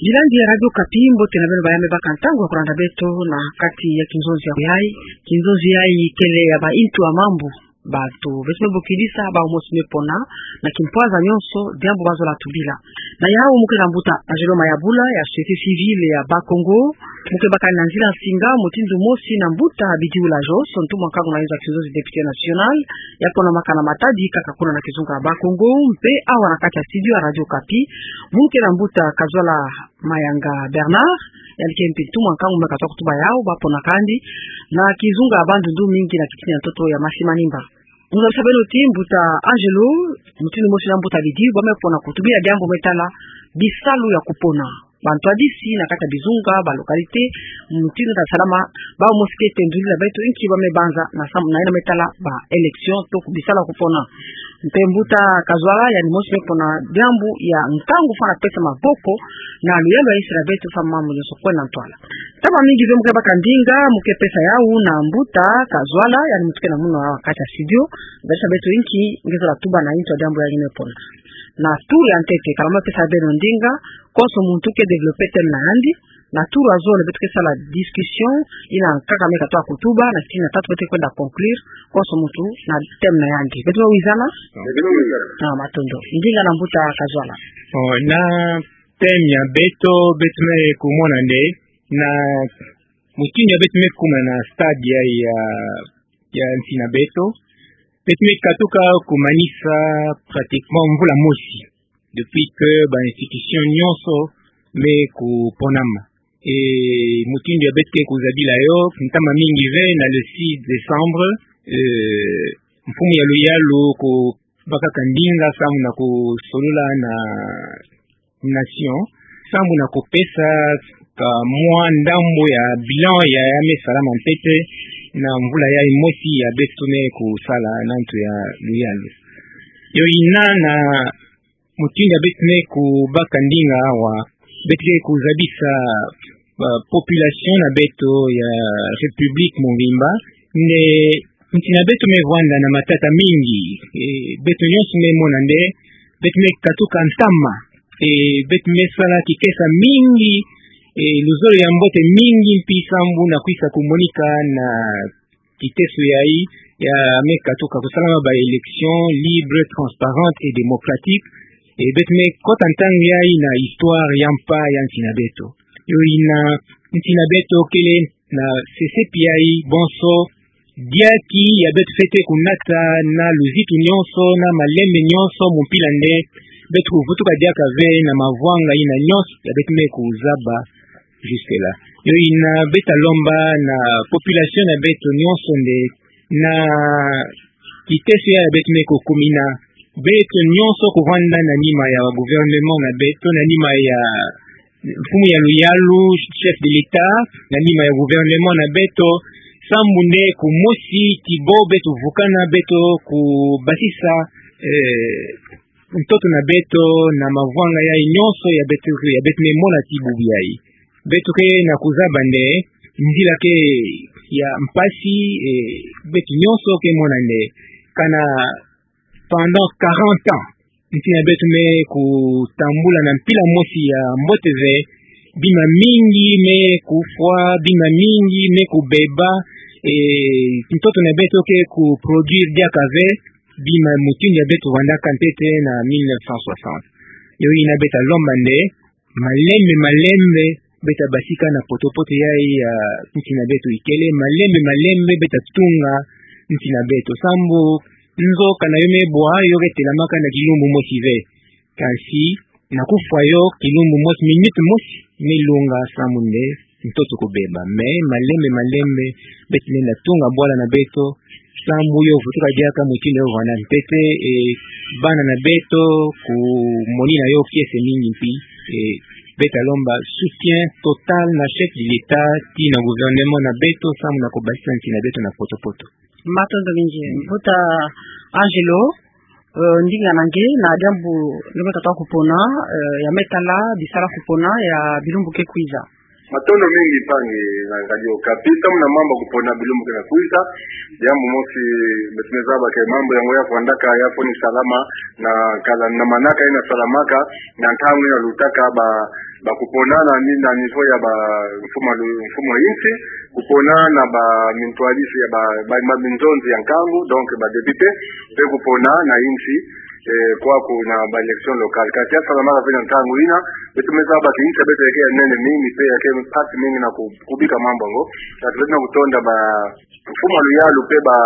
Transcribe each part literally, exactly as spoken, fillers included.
Bilandi ya Radio Okapi, mbote na beno ba ya me baka ntangu ya kulanda beto na kati ya kinzonzi yayi. Kinzonzi yayi kele ya ba intu ya mambu. Bato beto me bokilisa, bau mosi me pona na kimpwanza nyonso diambu bazola tubila. Na yau muke na mbuta Angelo Mayabula ya société civile ya Bas-Congo, muke baka na nzila nsinga mutindu mosi na mbuta Bidiula Jos, ntu mwa nkangu na inzo ya kinzonzi, député national, ya ponamaka na Matadi kaka kuna na kizunga ya Bas-Congo, mpe awa na kati ya studio ya Radio Okapi, muke na mbuta Kazwala Mayanga Bernard, yandi ke mpe ntu mwa nkangu me katoka kutuba yau, bapona kandi na kizunga ya Bandundu, mingi na kitini ya ntoto ya Masi Manimba. Nzabisa beno ti mbuta Angelo, mutindu mosi na mbuta Bidi, ba me pona kutubila diambu me tala bisalu ya kupona bantwadisi na kati ya bizunga, ba localité, mutindu ta salama, bau mosi ke tendulila beto inki ba me banza na sam-, na yina me tala ba élection, to ku bisalu ya kupona. Mpe mbuta Kazwala, yandi mosi me pona diambu ya nkangu fwana pesa maboko na luyalu ya insi na beto, samu mambu nyonso kwenda ntwala. Ntama mingi ve, muke baka ndinga, muke pesa yau na mbuta Kazwala, yandi mutuke na munu awa kati ya studio, nzabisa beto inki nge zola tuba na intu ya diambu yayi me pona. Na tour ya ntete, kala ma pesa beno ndinga, konso muntu ke développer thème na yandi, na tour ya zole beto ke sala discussion, yina nkaka me katoka kutuba, na kitini ya tatu beto ke kwenda conclure, konso muntu na thème na yandi. Beto wizana? Ah, matondo. Ndinga na mbuta Kazwala. Oh, na thème ya beto, beto me kumona nde, na mutindu ya beto me kuma na stade ya, ya, ya nsi na beto, beto me katuka kumanisa pratiquement mvula mosi, depuis que ba institution nyonso me kuponama. E mutindu ya beto ke kuzabila yo, ntama mingi ve, na le six décembre, eh, mfumu ya luyalu ku bakaka ndinga samu na kusolola na nation, samu na kupesa kamwa ndambu ya bilan ya, ya me salama ntete na mvula yayi mosi ya beto me kusala na ntu ya luyalu. Yo yina na mutindu ya beto me kubaka ndinga awa, beto ke kuzabisa ba population na beto ya République mobimba nde nsi na beto me vwanda na matata mingi. E, beto nyonso me mona nde beto me katuka ntama. E, beto me sala kikesa mingi, e, luzolo ya mbote mingi mpi sambu na kwisa kumonika na kiteso yayi ya me katuka kusalama ba élection libre, transparente et démocratique. E, beto me kota ntangu yayi na histoire ya mpa ya nsi na beto. Yo yina nsi na beto kele na sesepi yayi bonso, diaki ya beto fwete kunata na luzitu nyonso, na malembe nyonso, mu mpila nde beto kuvutuka diaka ve na mavwanga yina nyonso ya beto me kuzaba jusque-là. Yo yina beto ta lomba na population na beto nyonso nde na kiteso ya beto me kukumina, beto nyonso kuvwanda na nima ya gouvernement na beto, na nima ya mfumu ya luyalu, chef de l'État, na nima ya gouvernement na beto, sambu nde kumosi ti bo beto vukana, beto kubasisa, eh, ntoto na beto na mavwanga yayi nyonso ya beto, ya beto me mona ti bubu yayi. Beto ke na kuzaba nde nzila ke ya mpasi, eh, beto nyonso ke mona nde kana pendant quarante ans nsi na beto me kutambula na mpila mosi ya mbote ve, bima mingi me kufwa, bima mingi me kubeba, e, ntoto na beto ke kuproduire diaka ve bima mutindu ya beto vandaka ntete na mille neuf cent soixante. Yo yina beto ta lomba nde malembe malembe beto ta basika na potopoto yayi ya nsi na beto ikele, malembe malembe beto ta tunga nsi na beto. Sambu nzo kana yo me bwa, yo ke telamaka na kilumbu mosi ve. Kansi na kufwa yo, kilumbu mosi, minute mosi me lunga sambu nde ntoto kubeba. Mais malembe malembe beto lenda tunga bwala na beto, sambu yo vutuka diaka mutindu yo vwanda ntete, e, bana na beto kumonina yo kiese mingi mpi, e, beto ta lomba soutien total na chef de l'État, ti na gouvernement na beto, sambu na kubasisa nsi na beto na potopoto. Matondo mingi. Mbuta Angelo, e, ndinga na nge na diambu nge me katuka kupona, e, ya me tala bisalu ya kupona ya bilumbu ke kwiza. Matondo mingi mpangi na Radio Okapi. Samu na mambu ya kupona bilumbu ke na kwiza, yambu mosi beto me zaba ke mambu yango ya vandaka ya fweni salama na kala na manaka ina salamaka na ntangu ina lutaka ba, ba kupona na ni, na niveau ya ba mfumu lu-, mfumu ya insi, kupona na ba mintwadisi ya ba, ba, ba minzonzi ya nkangu, donc ba député, pe kupona na insi, eh, kwaku na ba élection locale. Kasi ya salamaka pe na ntangu ina, beto me zaba ke insi ya beto ya ke ya nene mingi, pe ya ke mpasi mingi na ku-, kubika mambu yango. Kasi beto na kutonda ba, mfumu ya luyalu pe ba,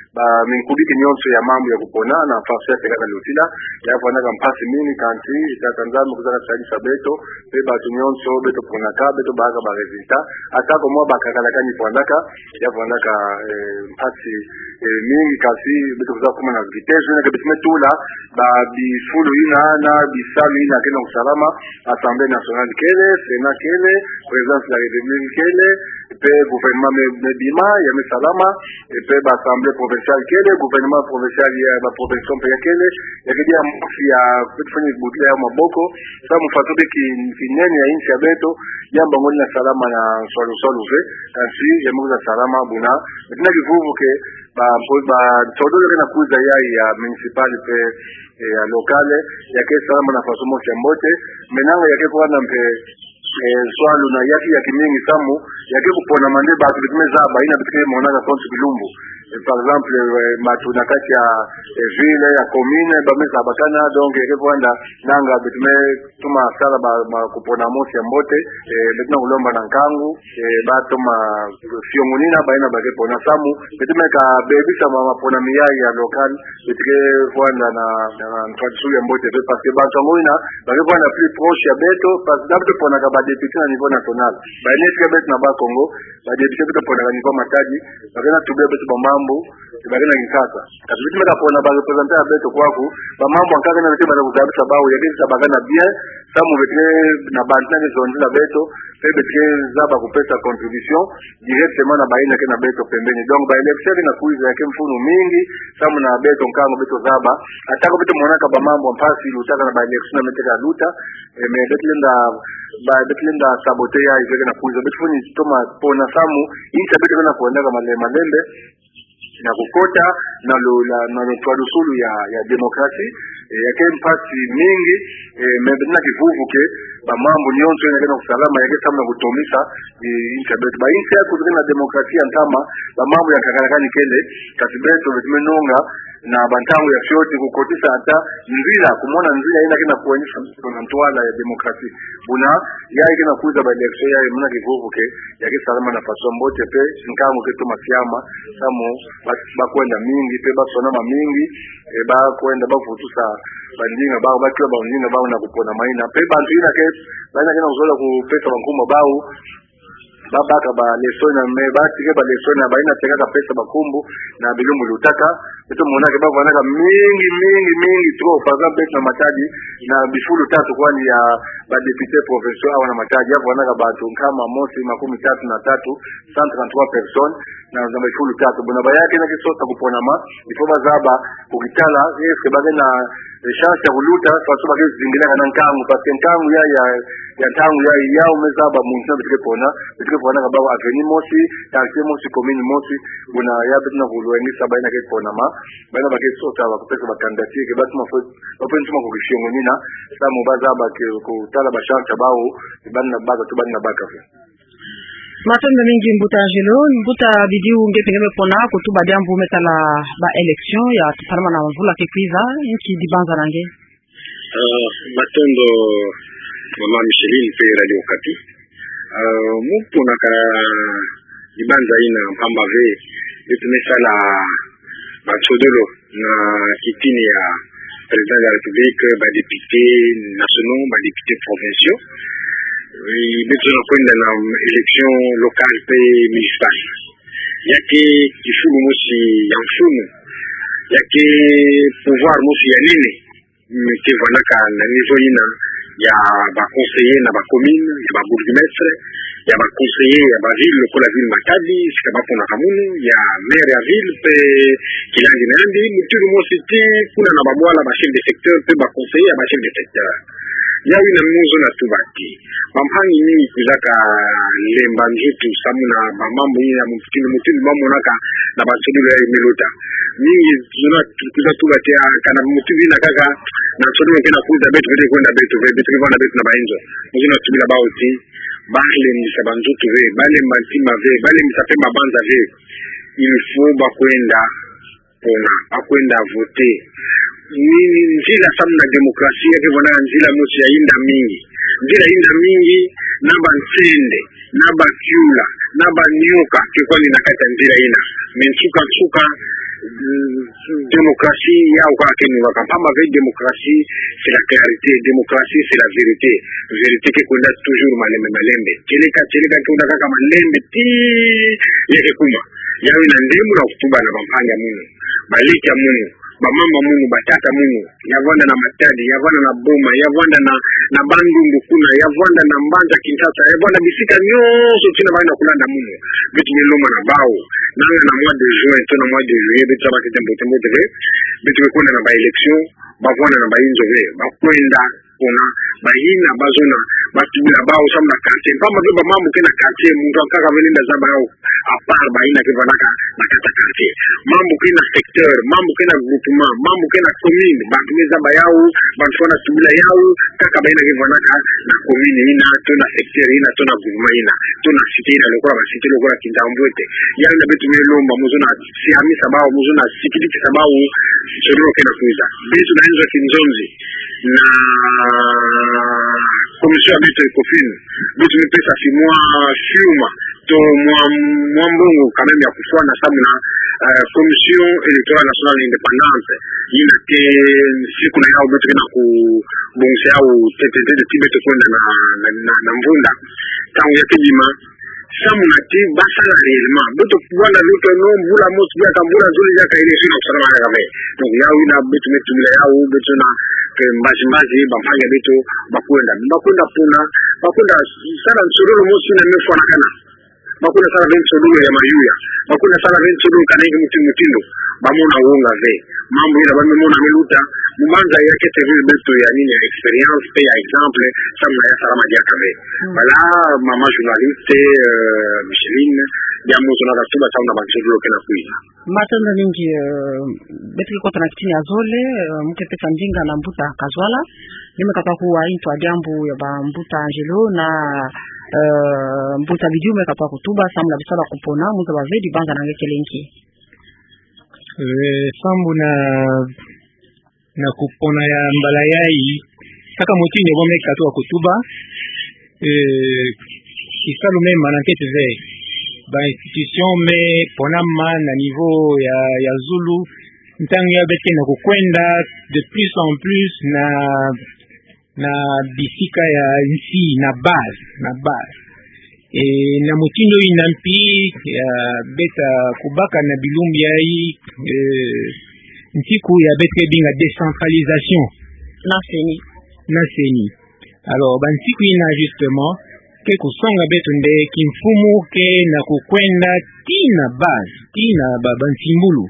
ba minkubiki nyonso ya mambu ya kupona na faso ya tekaka lutila, ya vandaka mpasi mingi, kansi Tata Nzambi kwiza ka sadisa beto, pe bato nyonso beto ponaka, beto baka ba résultat, ata ko mwa ba kakala kani vandaka, ya vandaka, eh, mpasi, eh, mingi, kasi beto kwiza kuma na kitezo ina ke beto me tula ba bifulu ina na bisalu ina ke na kusalama, Assemblée nationale kele, Sénat kele, Présidence de la République kele, pe gouvernement me, me bima, ya me salama, e pe ba assemblée provinciale kele, gouvernement provincial ya ba province pe ya kele, ya ke dia mosi ya beto fweni butila ya maboko, samu faso ke ki, kinene ya insi ya beto, yambu yango ina salama na nswalu nswalu ve, kansi ya me kwiza salama buna, beto na kivuvu ke, ba, mpo, ba, nsodolo ke na kwiza ya, ya municipal pe, eh, ya locale, ya ke salama na faso mosi ya mbote, menanga ya ke kwanda mpe, eh, nswalu na ya ke, ya ke mingi samu, ya ke kupona mande bato beto me zaba, ina beto ke monaka konso bilumbu. Eh, par exemple, eh, bato na kati ya, eh, ville, ya commune, ba me zabakana, donc ya ke kwanda, nanga beto me toma sala ba, ba kupona mosi ya mbote, eh, beto na kulomba na nkangu, eh, ba toma fiongonina, ba ina ba ke pona samu, beto me ka bebisa ma, mapona miayi ya local, beto ke kwanda na, na, na tradition ya mbote pe, parce que bato yango ina, ba ke kwanda plus proche ya beto, parce que beto ponaka ba député na niveau national. Ba ina tika beto na Bas-Congo, ba député beto ponaka niveau Matadi, ba ke na tubila beto ba mambu, ba ke na Kinshasa. Kasi beto me ka pona ba représentant ya beto kwaku, ba mambu ya nkaka ina beto banda kuzabisa bawu, ya ke zabakana bien, samu beto ke na bantu na zonzila beto, pe beto ke zaba kupesa contribution directement na ba ina ke na beto pembeni. Donc, ba élection ke na kwiza ya ke mfunu mingi, samu na beto nkangu beto zaba, ata ko beto monaka ba mambu ya mpasi lutaka na ba élection na me teka luta, eh, mais beto lenda, ba, beto lenda saboter ya, ya ke na kwiza, beto fweni toma pona samu, insi ya beto ke na kwendaka male-, malembe, na kukota na lo, la, na lo twadusulu ya, ya démocratie, eh, ya ke mpasi mingi, eh, mais beto na kivuvu ke, ba mambu nyonso ina ke na kusalama, ya ke samu na kutomisa, eh, insi ya beto. Ba insi yaku ke na démocratie ya ntama, ba mambu ya kakala kani kele, kasi beto, beto me nonga, na ba ntangu ya fioti kukotisa ata nzila, kumona nzila ina ke na kwenisa na ntwala ya démocratie. Buna, ya ke na kwiza ba élection ya, muna kivuvu ke, ya ke salama na faso mbote pe, nkangu ke toma siama, samu, ba, ba kwenda mingi, pe ba sonama mingi, eh, ba kwenda ba vutusa, ba ndinga bawu, ba tula ba ndinga bawu na kupona maina. Pe bantu ina ke, ba ina ke na kuzola kupesa ba nkumbu ya bawu, ba baka ba leçon ina, mais ba tike ba leçon ina, ba ina tekaka pesa ba nkumbu na bilumbu lutaka, beto mona ke ba vandaka mingi, mingi, mingi trop. Par exemple, beto na Matadi, na bifulu tatu kwandi ya ba députés provinciaux awa na Matadi, ya vandaka bato nkama mosi makumi tatu na tatu, cent trente-trois personnes, na, na bifulu tatu. Buna ba ya ke na kisosa kuponama, il faut ba zaba, kukitala, est-ce que ba ke na, eh, chance ya kuluta, faso ba ke zingilaka na nkangu, parce que nkangu ya, ya, ya ntangu ya, yawu me zaba muntu na beto ke pona, beto ke ponaka bawu avenue mosi, quartier mosi, commune mosi, buna ya beto na kulwengisa ba ina ke ponama, ba ina ba ke sosa ba kupesa ba candidature, ke ba toma fo, ba fo toma kukifiongonina, samu ba zaba ke kutala ba chance ya bawu, ba na baka, tu ba na baka fo. Matondo mingi mbuta Angelo, mbuta Bidiu, nge mpe nge me pona kutuba diambu me tala ba élection ya salama na mvula ke kwiza, nki dibanza na nge? Ah, matondo, mama Micheline mpe Radio Okapi. Ah, mu pona ka dibanza ina mpamba ve, beto me sala ba nsodolo na kitini ya Président de la République, ba députés nationaux, ba députés provinciaux. Eh, beto na kwenda na élection locale mpe municipale. Ya ke kifulu mosi ya mfunu. Ya ke pouvoir mosi ya nene. Mm, ke vandaka na niveau ina ya ba conseillers na ba communes, ya ba bourgmestres, ya ba conseillers ya ba villes, lokola ville Matadi, sika ba ponaka munu, ya maire ya ville, mpe kilandi na yandi, mutulu mosi tii kuna na ba bwala, ba chefs de secteur, mpe ba conseillers ya ba chefs de secteur. Yawi na mozona tuba ti bampangi mingi kuzaka lemba nzutu samu na bamambu ina mutindu mutindu mamonaka na bansololo yayi me luta. Mingi zona tu-, kuza tuba ti a kana mutindu ina kaka na nsololo ke na kuza beto ke kwenda beto ve, beto ke vwanda beto na bainzo. Mozona tubila bawu ti balembisa banzutu ve, balemba ntima ve, balembisa pe mabanza ve. Il faut bakwenda pona, bakwenda voter. Ni, ni nzila samu na démocratie, ya ke vwanda nzila mosi ya inda mingi. Nzila inda mingi, na bansende, na bakiula, na banioka, ke kwani na kati ya nzila ina. Mais nsuka nsuka, mm, démocratie, yawu kaka ke nungaka. Mpamba ve démocratie, c'est la clarté. Démocratie, c'est la vérité. Vérité ke kwenda toujours malembe, malembe. Kieleka, kieleka ke kwenda kaka malembe, ti, ya ke kuma. Yawu ina nde muna kutuba na bampangi ya munu, baleke ya munu, bamama munu, batata munu, ya vwanda na Matadi, ya vwanda na Boma, ya vwanda na, na Bandundu kuna, ya vwanda na mbanza Kinshasa, ya vwanda bisika nyonso tina bayi na kulanda munu. Beto me lomba na bawu, nanga na mois de juin, to na mois de juillet, beto zaba ntete mbote mbote ve, beto me kwenda na ba élection, bavwanda na bainzo ve, bakwenda pona, bayina, bazona, batubila bawu samu na quartier. Mpamba ve bamambu ke na quartier, muntu ankaka vele nda zaba yawu, à part bayina ke vwandaka na kati ya quartier. Mambu ke na secteur, mambu ke na groupement, mambu ke na commune, bantu me zaba yawu, bantu fwana tubila yawu, kaka bayina ke vwandaka na commune ina, to na secteur ina, to na groupement ina, to na cité ina, lokola ba cité, lokola Kintamvwete. Yawu ina beto me lomba, mozona siamisa bawu, mozona sikidikisa bawu, nsololo ke na kwiza. Beto na inzo ya kinzonzi na commission ya beto ECOFIN, beto me pesa ti mwa fiuma, to mwa, mwa mbongo quand même ya kufwana samu na, eh, Commission Électorale Nationale Indépendante, ina ke siku na yawu beto ke na kubongisa yawu ntete ntete ti beto kwenda na, na, na, na mvunda. Ntangu ya ke bima, samu na ti basala réellement. Beto kubwana luta no mvula mosi diaka, mvula zole diaka, élection ina kusalama diaka ve. Donc, yawu ina beto me tubila yawu, beto na ke mbazi mbazi, bampangi ya beto, bakwenda. Bakwenda pona, bakwenda sala nsololo mosi ina me fwanakana. Bakwenda sala ve nsololo ya mayuya. Bakwenda sala ve nsololo kana inki mutindu mutindu. Bamona wonga ve. Mambu ina ba me mona me luta, mu mbanza ya ke servir beto ya nini, ya expérience, pe ya exemple, samu na ya salama diaka ve. Mm. Voilà, mama journaliste, euh, Micheline, ya mozona katuba samu na bansololo ke na kwiza. Matondo mingi, euh, beto ke kota na kitini ya zole, euh, mu ke pesa ndinga na mbuta Kazwala, ni me katwa kuwa ntu wa diambu ya ba mbuta Angelo na, euh, mbuta Bidiu me katwa kutuba, samu na bisalu ya kupona, mu zaba ve dibanza na nge kele nki. Eh, sambu na, na kupona ya mbala yayi, saka mutindu bo me katwa kutuba, eh, kisalu me mana nkete ve, ba institution me ponama na niveau ya, ya zulu, ntangu ya beto ke na kukwenda de plus en plus na na bisika ya nsi, na base, na base. Eh, na mutindu ina mpi, ya beto kubaka na bilumbu yayi, eh, nsiku ya beto ke binga décentralisation. Na CENI. Na CENI. Alors, ba nsiku ina justement, ke kusonga beto nde kimfumu ke na kukwenda tii na base, tii na ba, bansimbulu.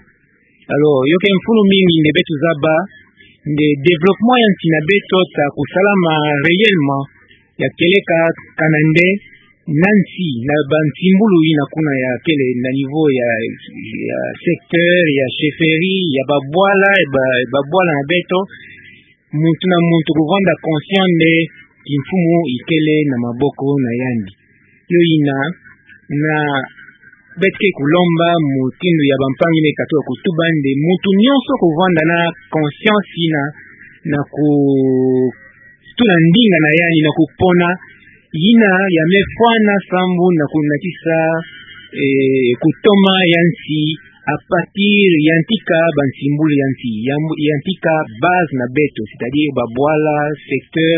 Alors, yo ke mfunu mingi nde beto zaba, nde développement ya nsi na beto ta kusalama réellement, ya kieleka kana nde na nsi, na bansimbulu ina kuna ya kele na niveau ya, ya secteur, ya chefferie, ya babwala, ya ba, babwala na beto, muntu na muntu kuvanda conscient nde kimfumu ikele na maboko na yandi. Yo ina, na beto ke kulomba mutindu ya bampangi me katwa kutuba nde muntu nyonso kuvanda na conscience ina, na kutula ndinga na yandi na kupona ina ya me fwana sambu na kunatisa, eh, kutoma ya nsi à partir ya ntika bansimbulu ya nsi, ya, ya ntika base na beto, c'est-à-dire babwala, secteur,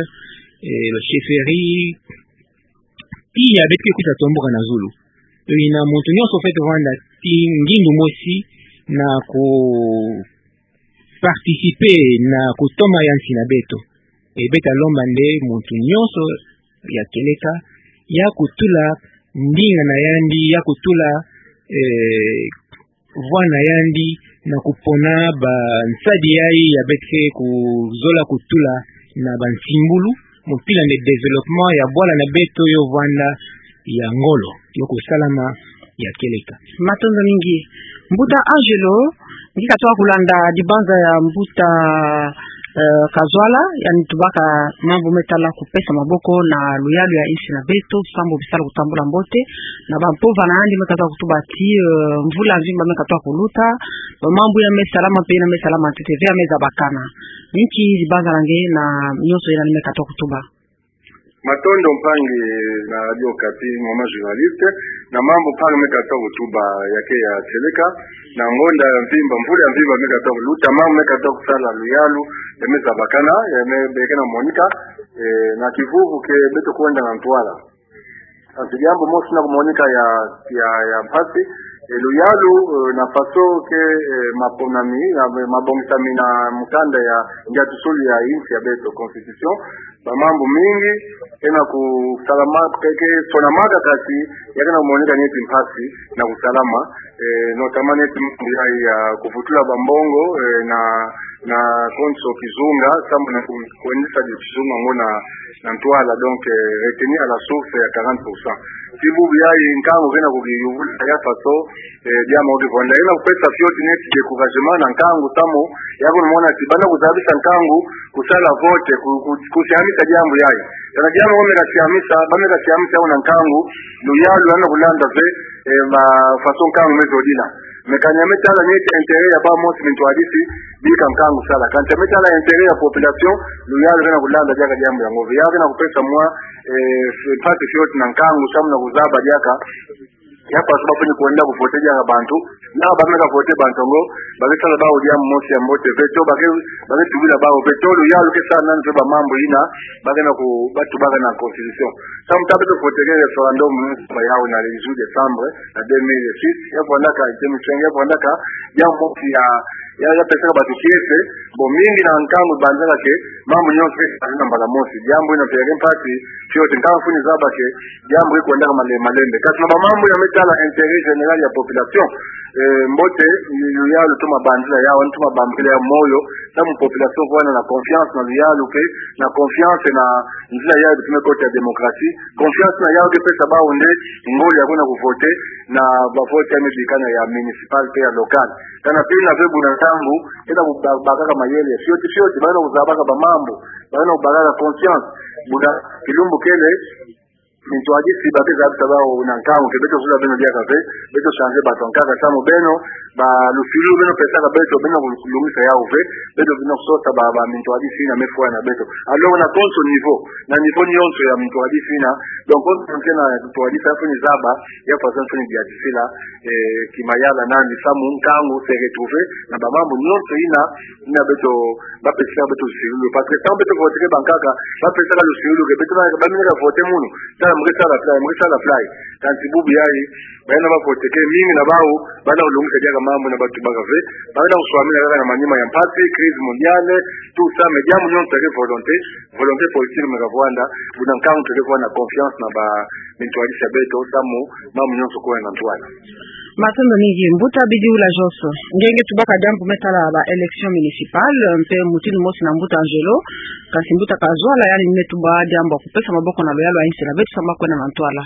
eh, chefferie, tii ya beto ke kwiza tomboka na zulu. Yo ina muntu nyonso fwete vanda tii ngindu mosi na ku participer na kutoma ya nsi na beto. E beto ta lomba nde muntu nyonso ya kieleka ya kutula ndinga na yandi, ya kutula, eh, voix na yandi na kupona bansadi yayi ya beto ke kuzola kutula na bansimbulu, Mpila nde développement ya bwala na beto yo vwanda ya ngolo, yo kusalama ya kieleka. Matondo mingi. Mbuta Angelo, nge katwa kulanda dibanza ya mbuta, eh, Kazwala, yandi tubaka mambu me tala kupesa maboko na luyalu ya insi na beto, sambu bisala kutambula mbote, na bampova na yandi me katwa kutuba ti, eh, mvula mvimba me katwa kuluta, ba mambu yina me salama mpe yina me salama ntete ve ya me zabakana. Nki dibanza na nge na nyonso yina ni me katwa kutuba? Matondo mpangi na Radio Okapi, mama journaliste, na mambu mpangi me katwa kutuba ya ke ya kieleka, na ngonda ya mvimba, mvula ya mvimba me katwa kuluta, mambu me katwa kusala luyalu, ya me zabakana, ya me beke na monika, eh, na kivuvu ke beto kwenda na ntwala. Kansi diambu mosi na kumonika ya, ya, ya mpasi, eh, luyalu, eh, na faso ke, eh, maponami, ya, mabongisami na mukanda ya, ndiatusulu ya insi ya beto, constitution, ba mambu mingi, kena kusalama, ke, ke, sonamaka kansi, ya kena kumonika neti mpasi, na kusalama, eh, notamment neti mambu ya, ya kuvutula ba mbongo, eh, na, na konso kizunga, sambu na ku-, kwendisa dio kizunga ngo na, na ntwala, donc, eh, retenue à la source ya quarante pour cent. Ti bubu yayi nkangu kena kukiyuvula ya faso, eh, diambu kivwanda. Kena kupesa fioti neti découragement na nkangu samu, ya kunumona ti bana kuzabisa nkangu, kusala vote, ku-, ku-, kusiamisa diambu yayi. Kana diambu ba me kasiamisa, ba me kasiamisa ya kuna nkangu, luyalu lwena kulanda ve, eh, ma faso nkangu me zodila. Mais kani ya me tala neti intérêt ya bawu mosi mintwadisi, bika nkangu sala. Kansi ya me tala intérêt ya population, luyalu kena kulanda diaka diambu yango ve. Ya kena kupesa mwa, eh, mpasi fioti na nkangu, samu na kuzaba diaka. Ya faso bafweni kwenda kuvote diaka bantu. Na ba me kavote bantu ngo, ba ke sala bawu diambu mosi ya mbote ve, to ba ke, ba ke tubila bawu ve, to luyalu ke sala nani ve ba mambu yina, ba kena ku, ba tubaka na constitution. Samu ta beto voteke référendum, ba yawu na le dix-huit décembre, na deux mille six, ya vwandaka, deux mille cinq, ya vwandaka, ya mosi ya, ya, ya pesaka bantu kiese, bon, mingi na nkangu banzaka ke, mambu nyonso ke, na mbala mosi, diambu yina mpe ya ke mpasi, fioti nkangu fweni zaba ke, diambu ke kwendaka male-, malembe. Kansi na ba mambu ya me tala intérêt général ya population, eh, mbote, luyalu tuma banzila yawu, tuma bambila ya moyo, samu population vwanda na confiance na luyalu ke, na confiance na nzila yayi beto me kota ya démocratie. Confiance na yawu ke pesa bawu nde ngolo ya kwenda kuvote na ba vote ya me bikana ya municipal mpe ya local. Kana mpe na ve buna nkangu, kena ku-, ba-, bakaka mayele, fioti, fioti, ba kena kuzabaka ba mambu, ba kena kubakaka confiance. Buna kilumbu kele, mintwadisi ba ke zabisa bawu na nkangu ke beto zula beno diaka ve, beto changer bantu ankaka samu beno, ba lusilu beno pesaka beto, beno kulungisa yawu ve, beto beno kusosa ba, ba mintwadisi na mefwa na beto. Alors na konso niveau, na niveau nyonso ya mintwadisi na, donc konso nyonso na mintwadisi fweni zaba, ya faso fweni diatisila, eh, kimayala nani samu nkangu se retrouver, na ba mambu nyonso yina, yina beto, ba pesaka beto lusilu. Parce que samu beto voteke bankaka, ba pesaka lusilu ke beto na, ba mini ka vote munu. Tala mu ke sala fly, mu ke sala fly. Kansi bubu yayi, bayina ba voteke, mingi na bawu, ba na kulungisa diaka mambu na ba tubaka ve, ba na kuswamina kaka na manima ya mpasi, crise mondiale, tout ça, mais diambu nyonso ke volonté, volonté politique me kavwanda, buna nkangu tole kuwa na confiance na ba mintwadisi ya beto, samu, mambu nyonso kwenda na ntwala. Matondo mingi, mbuta Bidi Ula Joso. Nge nge tubaka diambu me tala ba élection municipale, mpe mutindu mosi na mbuta Angelo, kansi mbuta Kazwala yandi me tuba diambu ya kupesa maboko na luyalu ya insi na beto samu kwenda na ntwala.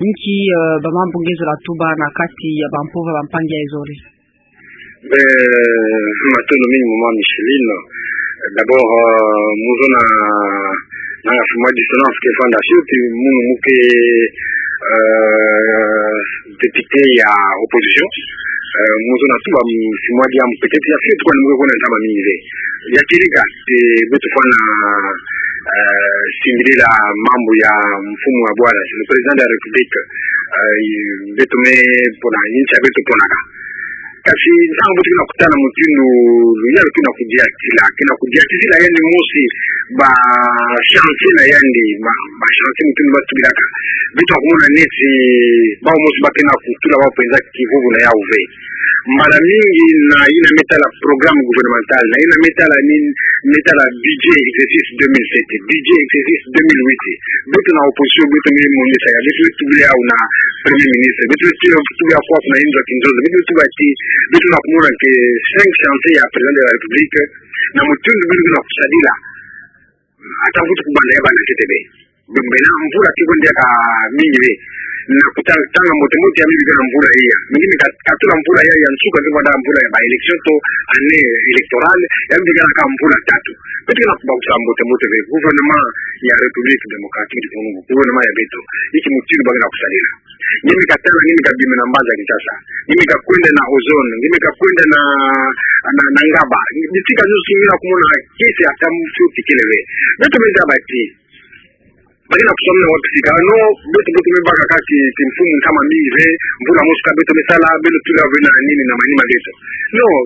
Nki, eh, ba mambu nge zola tuba na kati ya bampova bampangi ya zole? Eh, matondo mingi, maman Micheline. D'abord, eh, mu zo na, na mwa dissonance ke vanda fioti, munu mu ke, eh, député ya opposition. Eh, mu zo na tuba mwa diambu, peut-être ya fioti kwa ni mu ke kona ntama mingi ve. Ya kieleka, eh, beto fwana, eh, singilila mambu ya mfumu wa bwala, le président de la République, eh, beto me pona, insi ya beto ponaka. Kasi ntangu beto kina kutana mutindu luyalu kina kudiatila, kina kudiatisila yandi mosi ba chantier na yandi, ba, ba chantier mutindu ba tubilaka. Beto na kumona neti, bawu mosi ba kina kutula bawu penza kivuvu na yawu ve. Mbala mingi na yina me tala programme gouvernemental, na yina me tala ni, me tala budget exercice deux mille sept, budget exercice deux mille huit. Beto na opposition, beto me monisa ya, beto tubila yawu na premier ministre, beto tubila kwa kuna inzo ya kinzonzo, beto tuba ti, beto na kumona que cinq chantiers ya président de la République, na mutindu beto na kusadila. Ata mvutu kubanda ya banda ntete bê. Bê, bê na mvula ti kwenda ka mingi bê. Na kuta-, tanga mbote mbote ya mi bika na mvula iya. Mi ngi mi ka-, katula mvula iya ya nsuka ki kwenda mvula ya ba élection to année électorale, ya mi bika na ka mvula tatu. Beto kena kubakusa mbote mbote bê. Gouvernement ya République Démocratique du Congo. Gouvernement ya beto. Inki mutindu ba kena kusalila. Ngiemi katala, ngiemi kabima na mbanza Kinshasa. Ngiemi kakwenda na Ozone, ngiemi kakwenda na, na, na Ngaba. Bisika nyonso ngiena kumona kiese ata mfio ti kele bê. Beto me zaba ti. Ba kena kusamuna wapi sika. Non, beto, beto me baka kaka ti, ti mfumu ntama mingi bê, mvula mosi ka beto me sala, beno tula bê na nini na manima beto. Non,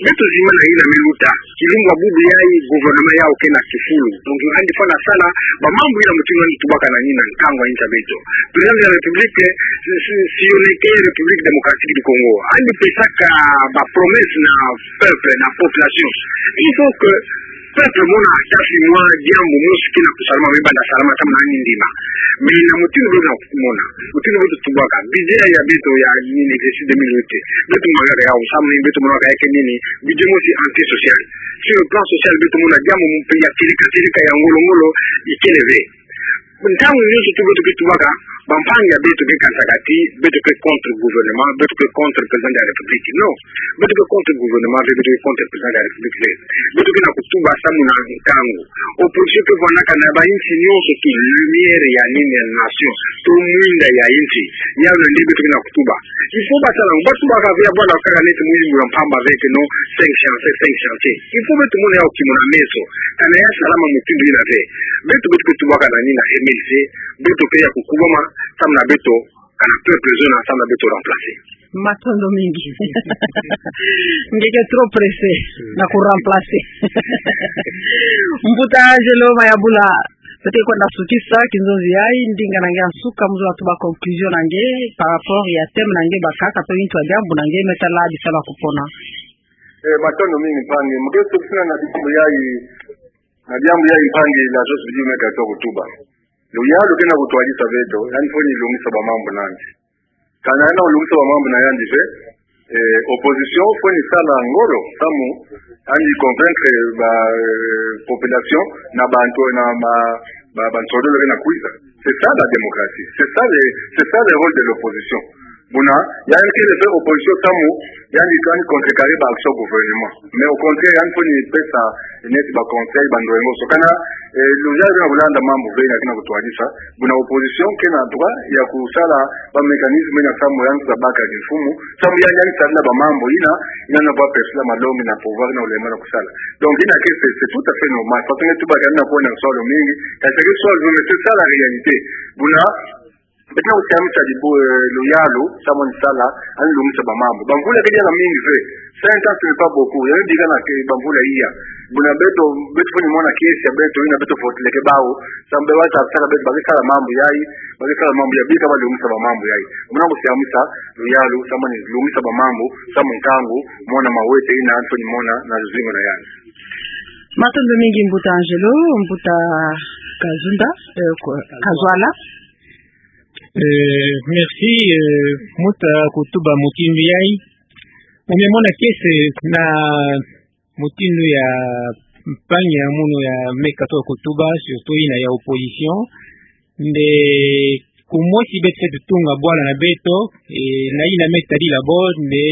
beto zimana yina me luta. Kilumbu ya bubu yayi gouvernement yau kena kifulu. Donc, yandi fwana sala, ba mambu yina mutindu yandi tubaka na nini na nkangu ya insi ya beto. Président de la République, si, si, siyoneke République Démocratique du Congo. Yandi pesaka ba promesse na peuple, na population. Il faut que peuple mona ata fimwa diambu mosi kina kusalama, me banda salama samu na yandi ndima. Mais na mutindu beto na kumona. Mutindu beto tubaka. Budget ya beto ya nini exercice deux mille huit. Beto mangaka yau samu ni beto monaka ya ke nini. Budget mosi antisocial. Sur le plan social, beto mona diambu mpe ya tirika tirika ya ngolo ngolo ikele bê. Ntangu nyonso tu beto ke tubaka, bampangi ya beto ke kansaka ti, beto ke contre gouvernement, beto ke contre président de la République. Non, beto ke contre gouvernement, beto ke contre président de la République. Beto kena kutuba samu na nkangu. Opposition ke vwandaka na ba insi nyonso ti lumière ya nini ya nation, to mwinda ya insi. Yau nde beto kena kutuba. Il faut basala, batubaka bê ya bwana kaka neti muyimbula mpamba bê ke non, cinq chantiers, cinq chantiers. Il faut beto mona yau kimona meso. Kana ya salama mutindu yina bê. Beto, beto ke tubaka na nini na M L C, beto ke ya kukubama, samu na beto, kana peuple zona, samu na beto remplacer. Matondo mingi. Nge ke trop pressé na ku remplacer. Mbuta Angelo Mayambula, beto ke kwenda sukisa, kinzonzi yayi, ndinga na nge ya nsuka, muzolo tuba conclusion na nge, par rapport ya thème na nge bakaka, to intu ya diambu na nge, me tala bisalu ya kupona. Eh, matondo mingi mpangi. Mu ke sukisina na diambu yayi, na diambu yayi mpangi la Jos Bidju me katoka kutuba. Luyalu kena kutwadisa beto, yandi fweni lungisa ba mambu na yandi. Kana yandi lungisa ba mambu na yandi bê, eh, opposition fweni sala ngolo, samu, yandi convaincre ba, eh, population na bantu, na ba, ba, bansodolo kena kwiza. C'est ça la démocratie. C'est ça le, c'est ça le rôle de l'opposition. Buna, yandi kele bê opposition samu, yandi kani contrecarrer ba action gouvernement. Mais au contraire, yandi fweni pesa neti ba conseil, ba ndwengo. So kana, eh, luyalu kena kulanda mambu bê, na kena kutwadisa. Buna opposition kena droit ya kusala ba mécanisme na samu yandi sa baka kimfumu. Samu yandi, yandi sala na ba mambu yina, yina na ba pesa malongi na pouvoir na ulema na kusala. Donc, yina ke c'est, c'est tout à fait normal. Parce que tuba kana kuwa na swalo mingi, kasi ke swalo, mais c'est ça la réalité. Buna, beto na kusiamisa dibu, eh, luyalu, samu yandi sala, yandi lungisa ba mambu. Ba mvula ke diaka mingi bê. Cinq ans, ce n'est pas beaucoup. Yandi bika na ke ba mvula iya. Buna beto, beto fweni mona kiese ya beto, yina beto voteleke bawu. Samu bê ba sa sala beto, ba ke sala mambu yayi, ba ke sala mambu yayi, bika ba lungisa ba mambu yayi. Buna kusiamisa, luyalu, samu yandi lungisa ba mambu, samu nkangu, mona mawete yina, yandi fweni mona, na luzingu na yandi. Matondo mingi mbuta Angelo, mbuta Kazunda, eh, Ko-, Kazwala. Eh, merci, eh, mbuta kutuba mutindu yayi. Mu me mona kiese na mutindu ya mpangi ya munu ya me katoka kutuba, surtout yina ya opposition. Nde kumosi beto fwete tunga bwala na beto, eh, na yina me tadila bo, nde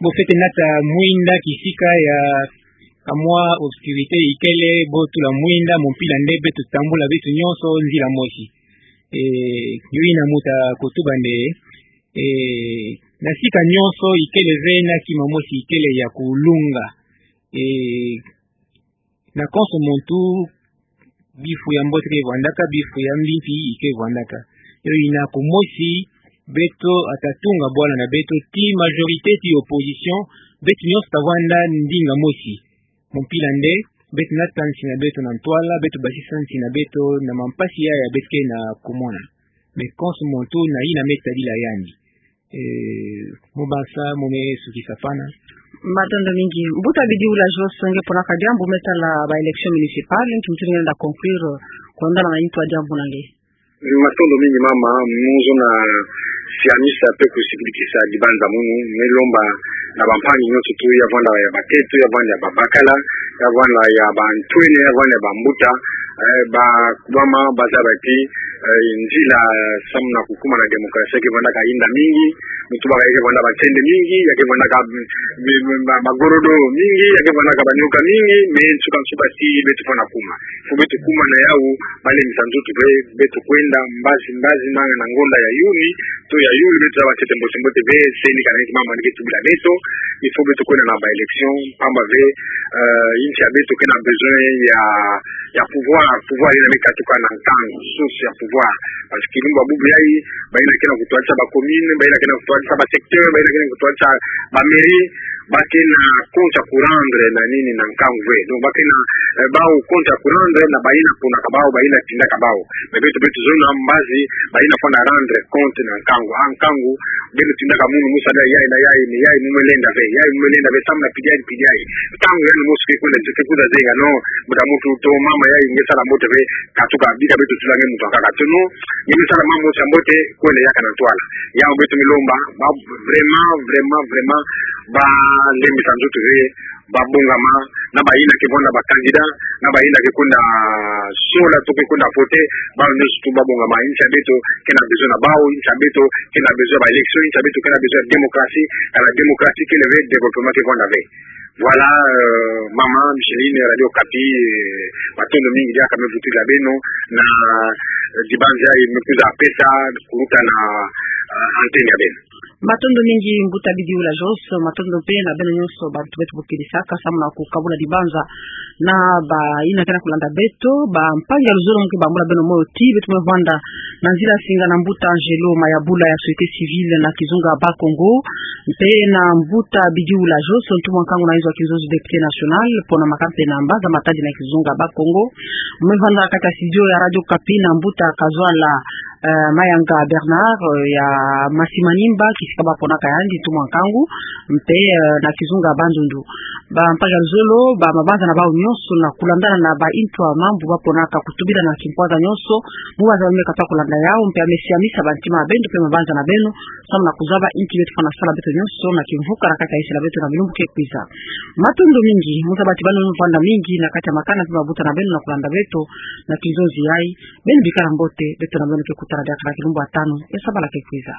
bo fwete nata mwinda kisika ya kamwa obscurité ikele, bo tula mwinda, mu mpila nde beto tambula beto nyonso nzila mosi. Eh, yo yina mbuta kutuba nde, eh, na sika nyonso ikele bê na kima mosi ikele ya kulunga. Eh, na konso muntu bifu ya mbote ke vwandaka, bifu ya mbi mpi ike vwandaka. Yo yina kumosi, beto ata tunga bwala na beto ti majorité ti opposition, beto nyonso ta vwanda ndinga mosi. Mu mpila nde, beto nata nsi na beto na ntwala, beto basisa nsi na beto na mampasi yaya beto ke na kumona. Mais konso muntu na yina me tadila yandi. Eh, mu basa, mu me sukisa pana. Matondo mingi. Mbuta Bidju la Jos, nge ponaka diambu me tala ba élection municipale, nki mutindu nge lenda conclure, kwendana na intu ya diambu na nge. Matondo mingi mama, mu zona siamisa mpe kusikidikisa dibanza munu, me lomba na bampangi nyonso tu, ya vwanda ya batete, ya vwanda ya babakala, ya vwanda ya bantwenia, ya vwanda ya bambuta, Eh, bakubama bazaba ti, eh, nzila samu na kukuma na démocratie ya ke vandaka inda mingi, muntu baka ya ke vanda ba nsende mingi, ya ke vandaka, mm, mm, ba, ba gorodo mingi, ya ke vandaka ba nioka mingi, mais nsuka nsuka ti beto fwana kuma. Faut beto kuma na yawu, balembisa nzutu ve, beto kwenda mbazi mbazi na, na ngonda ya Yuni, to ya Yuli, beto zaba ntete mbote mbote ve, se nika na niki mama nike tubila beto, il faut beto kwenda na ba élection, pamba ve, euh, insi ya beto ke na besoin ya, ya pouvoir, pouvoir yina me katuka na nkangu, source ya pouvoir. Parce que lumbu ya bubu yayi, bayina ke na kutwadisa ba commune, bayina ke na kutwadisa ba secteur, bayina ke na kutwadisa ba mairie, ba ke na compte ya ku rendre na nini, na nkangu ve. Donc ba ke na, eh, bawu compte ya ku rendre na bayina ponaka bawu, bayina tindaka bawu. Mais beto, beto zona mbazi, bayina fwana rendre compte na nkangu. Ah, nkangu, beno tindaka munu mu sala yayi na yayi, ni yayi mu me lenda ve, yayi mu me lenda ve, samu na pidi yayi, pidi yayi. Ntangu yandi mosi ke kwenda, ke kwiza zenga, non, mbuta muntu to mama yayi nge sala mbote ve, katuka, bika beto tula nge muntu akaka to, non, nge me sala mambu mosi ya mbote, kwenda yaka na ntwala. Yawu beto me lomba, ba, vraiment, vraiment, vraiment, balembisa nzutu ve, babongama, na bayina ke vanda ba candidat, na bayina ke kwenda sola to ke kwenda voter, bawu nyonso tu babongama, insi ya beto ke na besoin na bawu, insi ya beto ke na besoin ba élection, insi ya beto ke na besoin démocratie, car la démocratie kele ve, développement ke vanda ve. Voilà, euh, mama Micheline, Radio Okapi, euh, matondo mingi diaka me vutula beno, na, euh, dibanza yayi me kwiza pesa, kuluta na, euh, antenne ya beno. Matondo mingi mbuta Bidiula Jos, matondo mpe na beno nyonso bantu beto bokilisa, ka samu na kukabula dibanza na bayina ke na kulanda beto, bampangi ya luzolo, mu ke bambula beno moyo ti beto me vanda na nzila singa na mbuta Angelo Mayabula ya société civile na kizunga Bas-Congo, mpe na mbuta Bidiula Jos, ntumwa nkangu na inzo ya kinzonzi, député national, pona maka mpe na mbanza Matadi na kizunga Bas-Congo. Me vanda kati ya studio ya Radio Okapi na mbuta Kazwala, eh, Mayanga Bernard, eh, ya Masimanimba, kisika baponaka yandi ntumwa nkangu, mpe, eh, na kizunga Bandundu. Bampangi ya luzolo, ba mabanza na bawu nyonso na kulandana na ba intu ya mambu baponaka kutubila na kimpwaza nyonso, mu baza me kata kulanda yawu, mpe ya mesiamisa bantima ya beno mpe mabanza na beno, samu na kuzaba inki beto fwana sala beto nyonso na kimvuka na kati ya insi na beto na bilumbu ke kwiza. Matondo mingi, mu zaba ti beno me vanda mingi na kati ya makana mpe mabuta na beno na kulanda beto na kinzonzi yayi, beno bikala mbote, beto na beno ke kutana diaka na kilumbu ya tanu ya sabala ke kwiza.